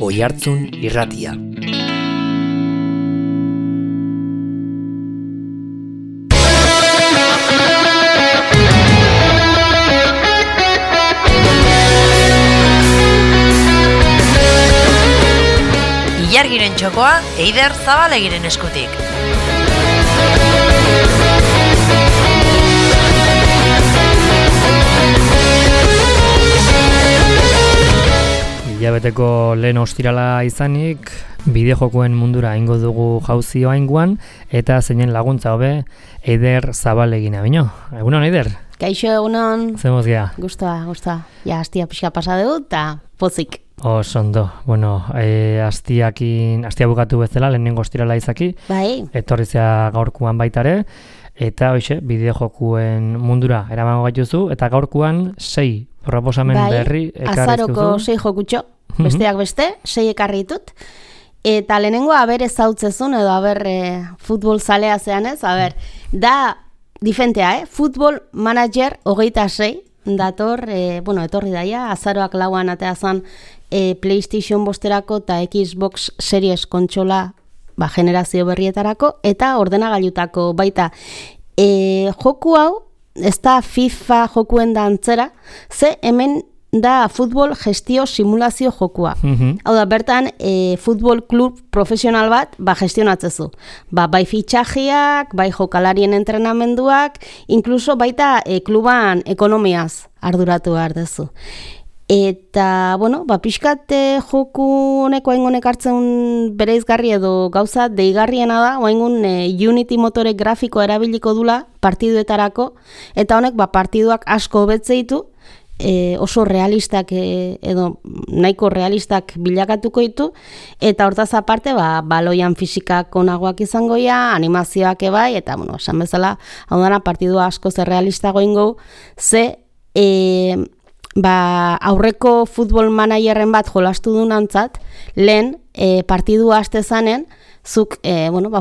Oihartzun Irratia. Ilargiren txokoa Eider Zabalegiren eskutik. Hilabeteko lehen ostirala izanik, bideojokoen mundura ingo dugu jauzio ainguan, eta zeinen laguntza hobe Eider Zabalegina bino. Egunon, Eider? Kaixo, egunon. Zemoz gea? Gustoa. Ja, astia pixka pasa dugu, eta pozik. Osondo. Bueno, astia bukatu bezala, lehenengo ostirala izaki. Bai. Etorrizea gaurkuan baitare, eta hoxe, bideojokuen mundura eramango gaituzu, eta gaurkuan 6 proposamen berri ekarrizkuzu. Azaroko 6 jokutxo, besteak beste, 6 ekarri ditut. Eta lehenengo aber ezautzezun, edo aber futbol zalea zean ez, da difentea, Futbol Manager 26, dator, etorri daia, azaroak lauan ateazan PlayStation bosterako eta Xbox Series kontsola generazio berrietarako, eta ordenagailutako baita. Joku hau, ez da FIFA jokuen da antzera, ze hemen da futbol gestio simulazio jokua. Hau da, bertan, futbol klub profesional bat, gestionatzezu. Bai fitxajiak, bai jokalarien entrenamenduak, inkluso baita kluban ekonomiaz arduratu behar dezu. Eta, pixkat joku honeko haingonek hartzen bereizgarri edo gauza deigarriena da, haingun Unity motore grafiko erabiliko dula partiduetarako, eta honek partiduak asko hobetze ditu, oso realistak edo nahiko realistak bilakatuko ditu, eta hortaz aparte baloian fisikak onagoak izangoia, animazioak ebai, eta esan bezala, hau dana partidua asko zer realistago ingo, ze aurreko futbol managerren bat jolastu dunantzat, lehen partidua haste zanen, zuk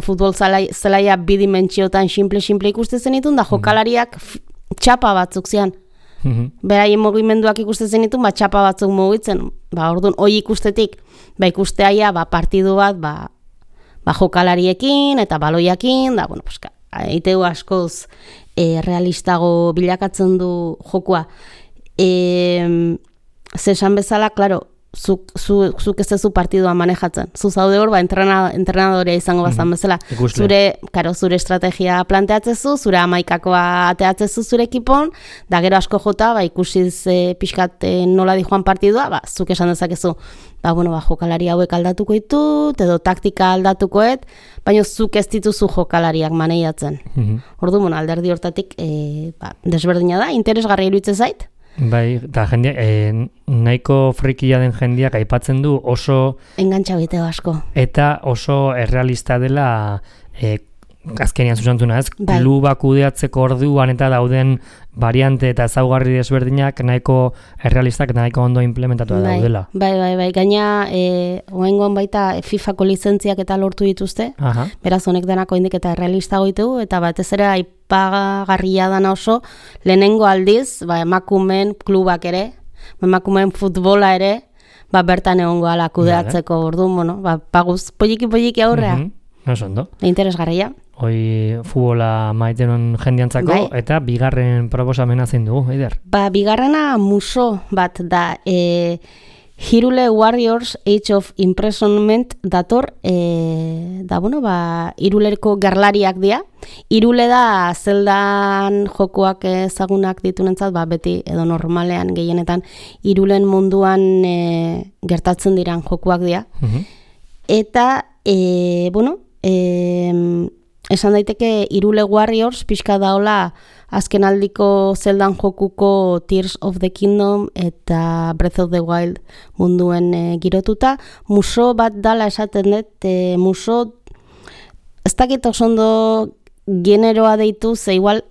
futbol zelaia bidimentsiotan simple ikuste zenitun, da jokalariak txapa batzuk zian. Beraien mugimenduak ikusten zenitun, txapa batzuk mugitzen. Orduan, hoi ikustetik, ikusteaia partidu bat, jokalariekin eta baloiakin, eiteu askoz realistago bilakatzen du jokua. Zesan bezala, klaro, zuk ez zezu partidua manejatzen. Zu zaude hor, entrenadorea izango bazan bezala. Zure estrategia planteatzezu, zure amaikakoa ateatzezu zure ekipon, da gero asko jota, ikusiz pixkat nola di joan partidua, zuk esan dezakezu, jokalari hauek aldatuko ditut, edo taktika aldatukoet, baina zuk ez dituzu jokalariak maneiatzen. Ordu, alderdi hortatik desberdina da, interesgarri iruditzen zait. Bai, eta nahiko frikia den jendeak aipatzen du oso engantxa biteo asko. Eta oso errealista dela azkenean zuzentzuna, ez? Bai. Klubak kudeatzeko orduan eta dauden variante eta ezaugarri desberdinak nahiko errealistak eta nahiko ondo implementatua daudela. Bai. Gaina, oengon baita FIFA-ko lizentziak eta lortu dituzte. Aha. Beraz, honek denako indik eta errealistago ditugu, eta batez ere aipagarria dana oso, lehenengo aldiz, emakumeen klubak ere, emakumeen futbola ere, bertan egongo ala kudeatzeko orduan, paguz, poliki aurrea. Oso ondo. Interesgarria. Hoi futbola maitenon jendiantzako, eta bigarren proposamena zein dugu, Eider? Bigarrena muso bat da, Hirule Warriors Age of Imprisonment dator, Hirulerko gerlariak dira. Hirule da zeldan jokoak ezagunak ditunentzat, beti edo normalean gehienetan Hirulen munduan gertatzen diran jokoak dira. Eta, esan daiteke Hirule Warriors pixka daola azken aldiko zeldan jokuko Tears of the Kingdom eta Breath of the Wild munduen girotuta. Muso bat dala esaten dut, muso ez dakit osondo generoa deitu, ze igual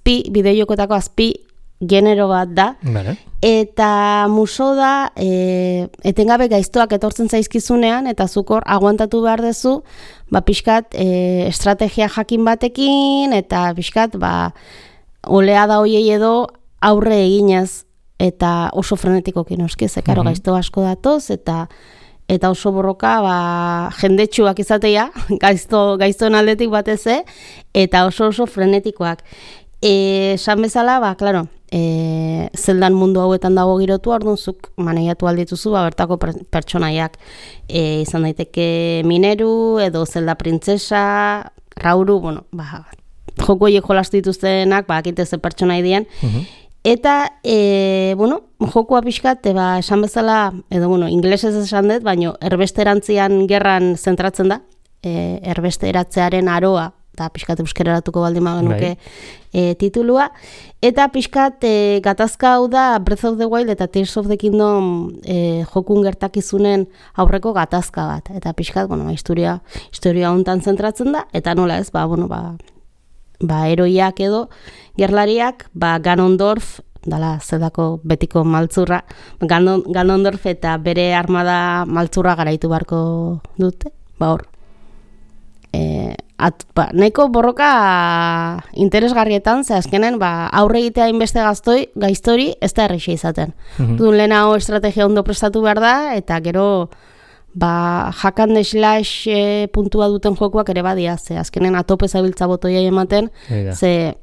bideojokotako azpi genero bat da. Vale. Eta muso da etengabe gaiztoak etortzen zaizkizunean, eta zukor aguantatu behar dezu, pixkat estrategia jakin batekin, eta pixkat oleada hoiei edo aurre eginez, eta oso frenetikoki noski, zekaro gaizto asko datoz, eta eta oso borroka jendetsuak izatea, gaiztoen aldetik batez, eta oso frenetikoak. Esan bezala, claro, zeldan mundu hauetan dago girotu, orduan zuk maneiatu aldituzu, bertako pertsonaiak izan daiteke mineru, edo zelda printzesa, rauru, joko horiek jolastu dituztenak, akite ze pertsonai dien, eta, jokoa pixkat, esan bezala, edo, inglesez esan dut, baina erbesterantzian gerran zentratzen da, erbesteratzearen aroa, eta pixkat euskeraratuko baldin magenuke titulua, eta pixkat gatazka hau da Breath of the Wild eta Tears of the Kingdom jokun gertakizunen aurreko gatazka bat, eta pixkat, historia hontan zentratzen da, eta nola ez, heroiak edo gerlariak, Ganondorf, dala zedako betiko maltzurra, Ganondorf eta bere armada maltzurra garaitu beharko dute, hor. Nahiko borroka interesgarrietan, ze azkenen aurre egitea inbeste gaiztori ez da erreixa izaten. Dun lehenago estrategia ondo prestatu behar da, eta gero hack and slash puntua duten jokoak ere badia, ze azkenen atope zabiltza botoiai ematen, ze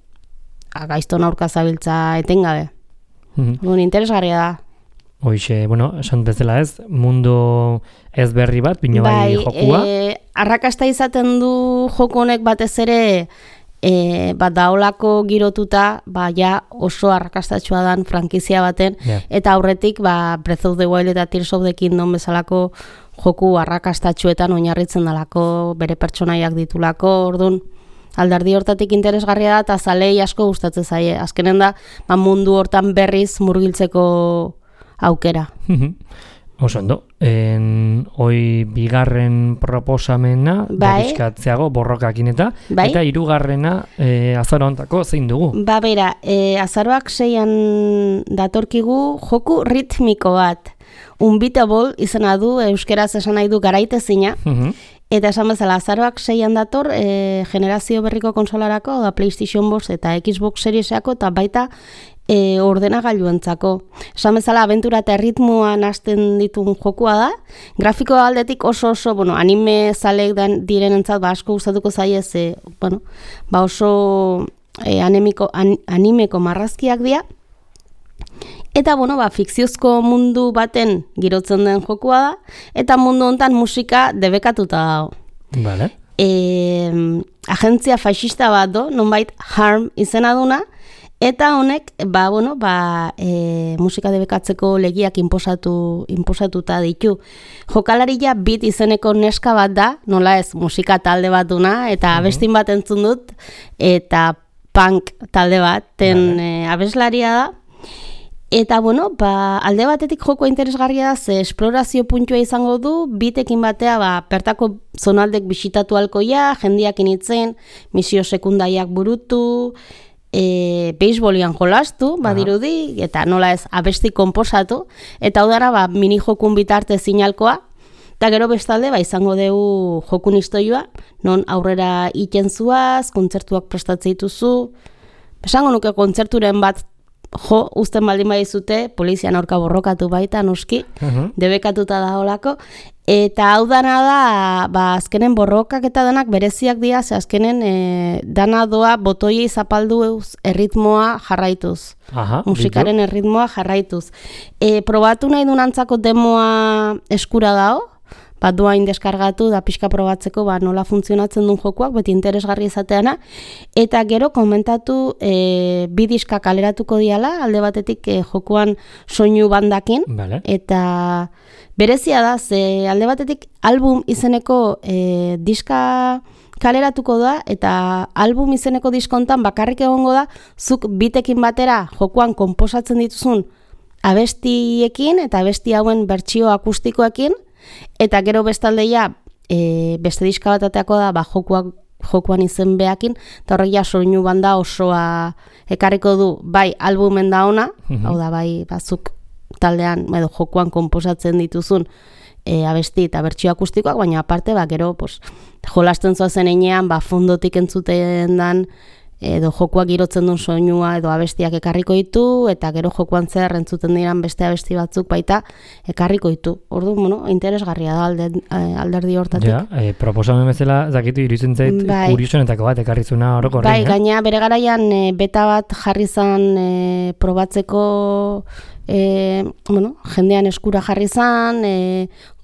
gaizton aurka zabiltza etengabe. Interesgarria da. Hoixe, esan bezala ez, mundu ez berri bat, bino bai jokua. Arrakasta izaten du joko honek batez ere, daolako girotuta, ja oso arrakastatxua dan frankizia baten, eta aurretik Breath of the Wild eta Tears of the Kingdom bezalako joku arrakastatxuetan oinarritzen dalako, bere pertsonaiak ditulako, orduan, aldardi hortatik interesgarria da, eta zalei asko gustatzen zaie. Azkenen da, mundu hortan berriz murgiltzeko aukera. Oso ondo. Hoi bigarren proposamena, berrizkatzeago borrokakin eta hirugarrena azaro ontako zein dugu? Bera, azaroak 6an datorkigu joku ritmiko bat. Unbeatable izena du, euskeraz esan nahi du garaitezina, eta esan bezala, azaroak 6an dator generazio berriko konsolarako, da PlayStation 5 eta Xbox Seriesako, eta baita ordenagailuentzako. Esan bezala, abentura eta erritmoan hasten ditun jokua da. Grafiko aldetik oso, anime zaleek direnentzat asko gustatuko zaie, oso animeko marrazkiak dira. Eta, fikziozko mundu baten girotzen den jokua da, eta mundu hontan musika debekatuta dago. Vale. Agentzia faxista bat do, nonbait Harm izena duna, eta honek, musika debekatzeko legiak inposatuta ditu. Jokalaria Beat izeneko neska bat da, nola ez, musika talde bat duna, eta abestin bat entzun dut, eta punk talde baten abeslaria da. Eta, alde batetik joko interesgarria da, ze esplorazio puntua izango du, bitekin batea, pertako zonaldek bisitatu alkoia, jendiak initzen, misio sekundaiak burutu, beisbolian jolastu, badirudi, eta nola ez, abesti konposatu, eta udara, mini jokun bitarte zinalkoa, eta gero bestalde, izango dugu jokun istoioa, non aurrera iten zuaz, kontzertuak prestatzen dituzu, esango nuke kontzerturen bat uzten baldin badizute, polizian aurka borrokatu baita, noski, debekatuta da holako, eta hau dana da, azkenen borrokak eta danak bereziak dira, ze azkenen dana doa botoiei zapaldu erritmoa jarraituz, musikaren erritmoa jarraituz. Probatu nahi dunantzako demoa eskura dao, duain deskargatu da pixka probatzeko nola funtzionatzen duen jokuak, beti interesgarri izateana, eta gero komentatu bi diska kaleratuko diala, alde batetik jokuan soinu bandakin, eta berezia da, ze alde batetik album izeneko diska kaleratuko da, eta album izeneko diskontan bakarrik egongo da, zuk bitekin batera jokuan konposatzen dituzun abestiekin, eta abesti hauen bertsio akustikoekin, eta gero bestaldeia beste diska bat ateako da jokuan izen behakin, eta horrek ja soinu banda osoa ekarriko du, bai albumen da ona, hau da bai bazuk taldean edo jokuan konposatzen dituzun abesti eta bertsio akustikoak, baina aparte gero jolasten zoazen einean fondotik entzuten dan edo jokuak girotzen duen soinua edo abestiak ekarriko ditu, eta gero jokuan zer entzuten diran beste abesti batzuk baita ekarriko ditu. Orduan, bueno, interesgarria da alderdi hortatik. Ja, proposamen bezala, zakitu iruditzen zait, kuriosunetako bat ekarrizuna horoko horrein. Bai, gaina bere garaian beta bat jarri zan probatzeko, jendean eskura jarri zan,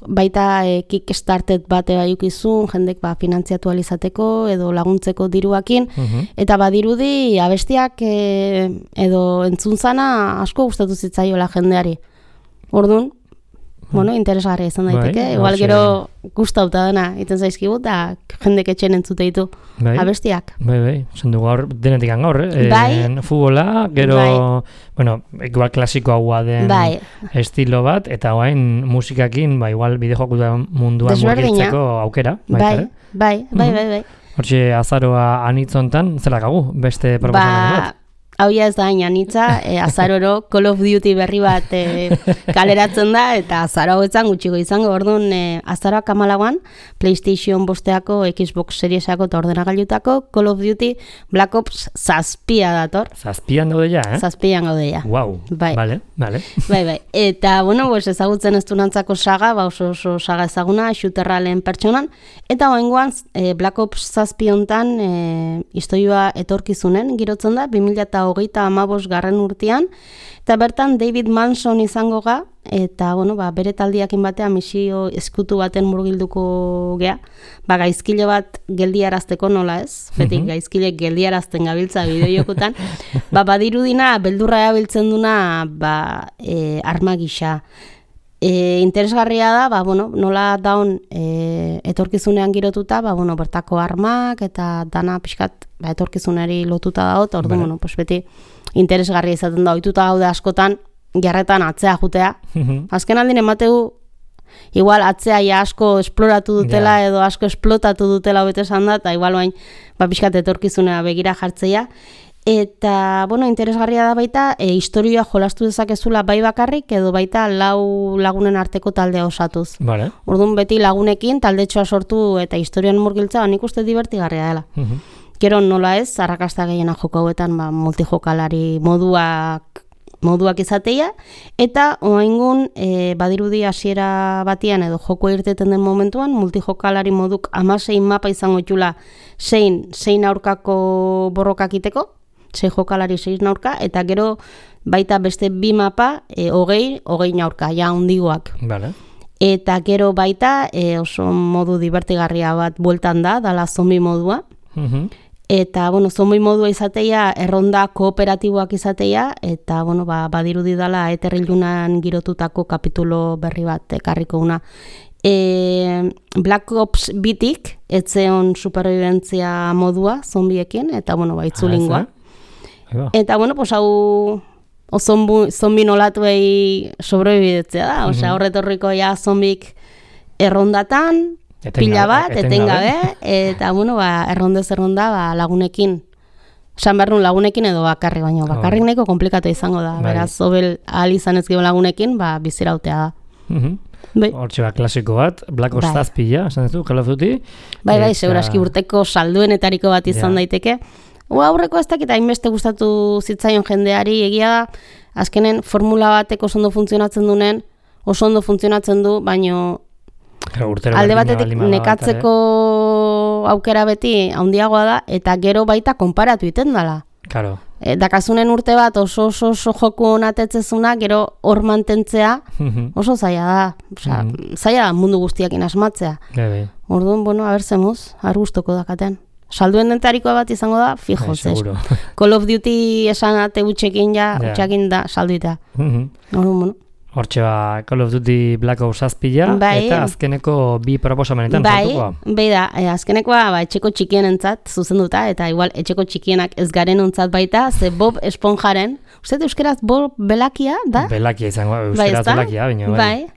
baita Kickstarter bate baiukizun, jendek finantziatu alizateko edo laguntzeko diruakin, eta badirudi abestiak edo entzun zana asko gustatu zitzaiola jendeari. Orduan, interesgarria izan daiteke, igual gero gustauta dena, iten zaizkigu, eta jendek etxen entzute ditu abestiak. Bai, zendu gaur, denetik gaur, futbola, gero, igual klasiko haua den estilo bat, eta guain musikakin, igual bideojokuta munduan murgiltzeko aukera. Bai. Hortxe azaroa anitzontan, zelakagu, beste proposamen bat? Hauia ez da anitza, azaroro Call of Duty berri bat kaleratzen da, eta azaro hauetan gutxiko izango, orduan azaroak 14an PlayStation 5-ako, Xbox Seriesako eta ordenagailutako Call of Duty Black Ops 7 dator. 7an daude ja, eh? 7an gaude ja. Wow, vale. Bai. Eta, ezagutzen ez dunantzako saga, oso saga ezaguna, shooterra lehen pertsonan, eta oengoan Black Ops 7 hontan historioa etorkizunen girotzen da, 2025 garren urtean, eta bertan David Manson izango ga, eta bere taldiakin batean misio eskutu baten murgilduko gea, gaizkile bat geldiarazteko nola ez, beti gaizkilek geldiarazten gabiltza bideojokutan, badirudina beldurra erabiltzen duna arma gisa. Interesgarria da, nola daun etorkizunean girotuta, bertako armak eta dana pixkat etorkizunari lotuta daut, orduan, beti interesgarria izaten da, ohituta gaude askotan, jarretan atzea jutea. Azken aldin emateu, igual atzea asko esploratu dutela edo asko esplotatu dutela bete esan da, eta igual bain, pixkat etorkizunea begira jartzeia. Eta, interesgarria da baita, historioa jolastu dezakezula bai bakarrik, edo baita 4 lagunen arteko taldea osatuz. Orduan beti lagunekin taldetxoa sortu eta historioan murgiltza, nik uste divertigarria dela. Gero nola ez, arrakasta gehiena joko hauetan multijokalari moduak izateia, eta oaingun badirudi hasiera batian edo joko irteten den momentuan, multijokalari moduk 16 mapa izango itxula 6 aurkako borrokak iteko, 6 jokalari 6 aurka, eta gero baita beste 2 mapa 20 aurka, ja hundigoak. Eta gero baita oso modu divertigarria bat bueltan da, dala zombi modua. Eta, zombi modua izateia, erronda kooperatiboak izateia, eta, badirudi dala eterrilunan girotutako kapitulo berri bat ekarriko una. Black Ops bitik, etzeon superviventzia modua zombiekin, eta, itzulingoa. Eta, hau zombi nolatuei sobrebidetzea da, horretorriko ja zombik errondatan, pila bat, etengabe, eta, errondez erronda lagunekin. Esan behar nun lagunekin edo bakarri, baina bakarrik nahiko komplikatu izango da. Beraz, obel ahal izan ez gero lagunekin, bizirautea da. Hortxe klasiko bat, Black Ops 7, esan ez du, Call of Duty. Bai, seguraski urteko salduenetariko bat izan daiteke. Aurreko ez dakit hainbeste gustatu zitzaion jendeari, egia da, azkenen formula batek oso ondo funtzionatzen du, baina alde batetik nekatzeko aukera beti handiagoa da, eta gero baita konparatu iten dela. Dakasunen urte bat oso joku onatetzezuna, gero hor mantentzea oso zaila da. Zaila da mundu guztiakin asmatzea. Orduan, abertzemuz, argustoko dakaten. Salduen dentarikoa bat izango da, fijo, Call of Duty esan ate utxekin utxekin da salduita. Hortxe Call of Duty Black Ops 7, eta azkeneko 2 proposamenetan sartukoa. Bai da, azkenekoa etxeko txikienentzat zuzenduta, eta igual etxeko txikienak ez garen ontzat baita, ze Bob Esponjaren, uste euskeraz Bob Belakia da? Belakia izango, euskeraz Belakia, baina bai.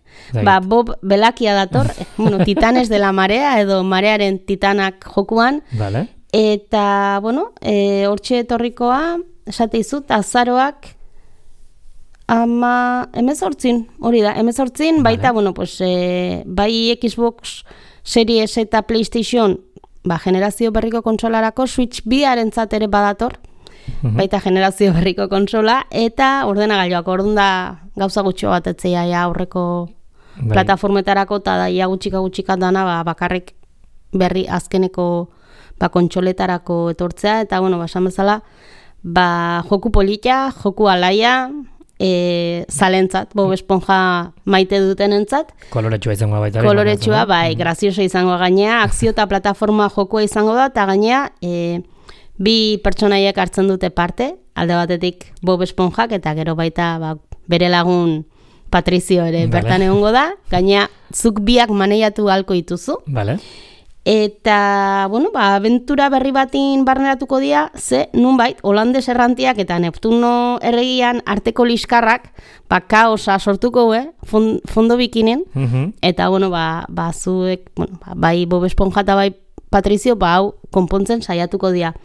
Bob Belakia dator, Titanes de la Marea, edo Marearen Titanak jokuan, eta, hortxe etorrikoa, esate izut, azaroak, 18, hori da, 18, baita, bai Xbox Series eta PlayStation generazio berriko kontsolarako Switch 2-arentzat ere badator, baita generazio berriko kontsola, eta ordenagailuak, orduan da gauza gutxo bat etzea aurreko plataformetarako, eta da ia gutxika dana bakarrik berri azkeneko kontsoletarako etortzea, eta esan bezala, joku polita, joku alaia, zalentzat, Bob Esponja maite dutenentzat. Koloretsua izango baita. Koloretsua, graziosa izango gainea, akzio eta plataforma jokua izango da, eta gainea, bi pertsonaiek hartzen dute parte, alde batetik Bob Esponjak, eta gero baita bere lagun Patrizio ere bertan egongo da, gainea zuk biak maneiatu halko dituzu. Vale. Eta, abentura berri batin barneratuko dira, nunbait, Holandes errantiak eta Neptuno erregian arteko liskarrak, kaosa sortuko, fondo bikinen, eta, zuek, bai Bob Esponja eta bai Patrizio, hau konpontzen saiatuko dira.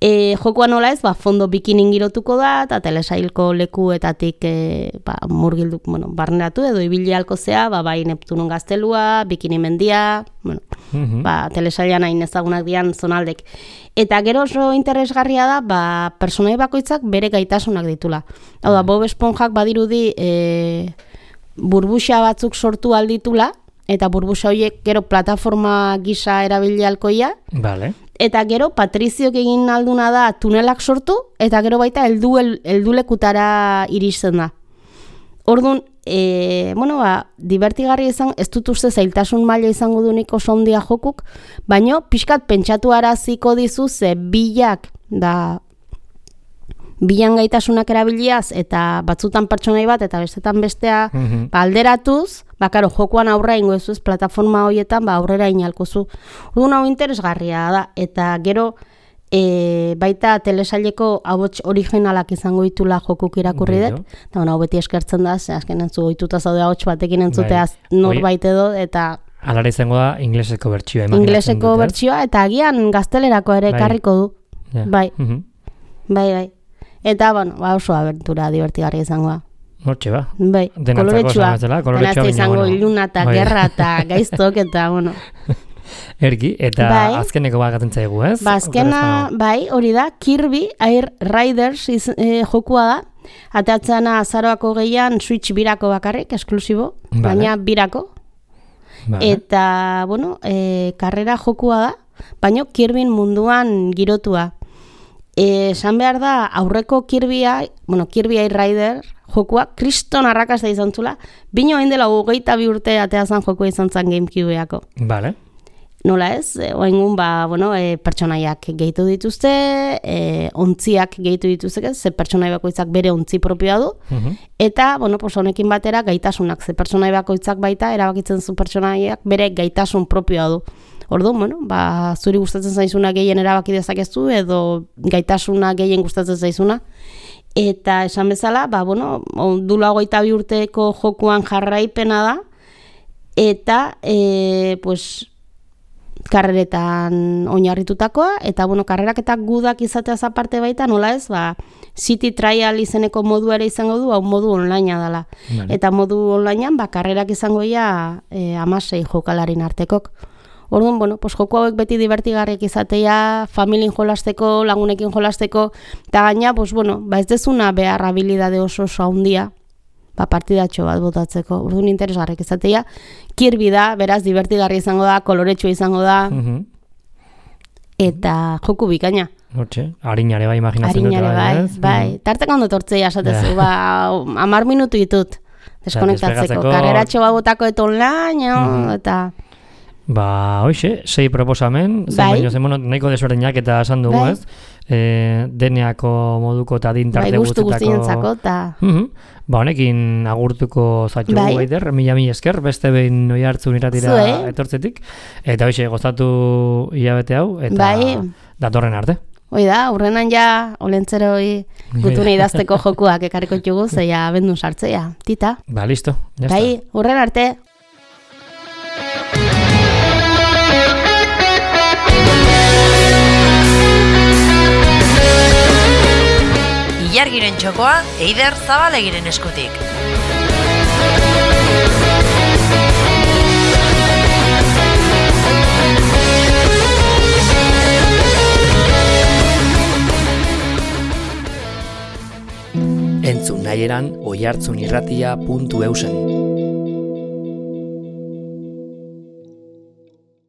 Jokoa nola ez, fondo bikinin girotuko da, eta telesailko lekuetatik murgildu, barneratu edo ibili halko zea, bai Neptunon gaztelua, bikini mendia, telesailan hain ezagunak dian zonaldek. Eta gero oso interesgarria da, personai bakoitzak bere gaitasunak ditula. Hau da, Bob Esponjak badirudi burbuxa batzuk sortu alditula, eta burbuxa horiek gero plataforma gisa erabili halkoia. Vale. Eta gero Patriziok egin alduna da tunelak sortu, eta gero baita heldulekutara iristen da. Orduan, divertigarri izan, ez dut uste zailtasun maila izango dunik oso ondia jokuk, baino pixkat pentsatu araziko dizu bilak da bilan gaitasunak erabiliaz, eta batzutan pertsonai bat, eta bestetan bestea alderatuz, jokoan aurra ingo ez plataforma horietan aurrera inalkozu. Orduan hau interesgarria da, eta gero baita telesaileko ahots originalak izango ditula jokuk irakurri dut, eta hau beti eskertzen da, azken entzu ohituta zaude ahots batekin entzuteaz norbait edo, eta alara izango da ingleseko bertsioa. Ingleseko bertsioa, eta agian gaztelerako ere ekarriko du. Bai. Eta, oso abentura divertigarria izango da. Hortxe ba. Bai, koloretsua. Denazte izango iluna eta gerra eta gaiztok eta, Ergi, eta azkeneko bagatzen zaigu, ez? Azkena, hori da, Kirby Air Riders jokua da. Ateatzena azaroako gehian Switch 2-ako bakarrik, esklusibo, baina 2-ako. Eta, karrera jokua da, baina Kirbyn munduan girotua. Esan behar da, aurreko Kirby Air Rider jokua kriston arrakasta izan zula, bino hain dela 22 urte ateazan jokua izan zen GameCube-eako. Vale. Nola ez, oengun, pertsonaiak gehitu dituzte, ontziak gehitu dituzte, ze pertsonai bakoitzak bere ontzi propioa du, eta, honekin batera gaitasunak, ze pertsonai bakoitzak baita, erabakitzen zu pertsonaiak bere gaitasun propioa du. Orduan, zuri gustatzen zaizuna gehien erabaki dezakezu, edo gaitasuna gehien gustatzen zaizuna. Eta esan bezala, dula 22 urteko jokuan jarraipena da, eta, karreretan oinarritutakoa, eta, karrerak eta gudak izateaz aparte baita, nola ez, City Trial izeneko modu ere izango du, hau modu onlinea dela. Eta modu onlinean, karrerak izango ia 16 jokalarin artekok. Orduan, joko hauek beti divertigarriak izatea, familien jolasteko, lagunekin jolasteko, eta gaina, ez dezuna behar habilidade oso handia, partidatxo bat botatzeko. Orduan interesgarriak izatea, Kirby da, beraz, divertigarri izango da, koloretsua izango da, eta joku bikaina. Hortxe, harinare bai imaginatzen dut. Harinare bai. Tarteko ondo tortzea esatezu, 10 minutu ditut deskonektatzeko. Karreratxo bat botako eta online, eta... Hoxe, 6 proposamen, nahiko desberdinak eta esan dugu, ez? Deneako moduko eta dintarte gustu guztientzako, eta... Honekin agurtuko zaitu Eider, mila esker, beste behin noi hartzun iratira etortzetik, eta hoxe, gozatu hilabete hau, eta datorren arte. Hoi da, urrenan ja, olentzero gutune idazteko jokuak ekarriko txugu, zeia bendu sartzea, tita. Listo, jazta. Urren arte. Ilargiren txokoa, Eider Zabalegiren eskutik. kaieran oihartzunirratia.eusen.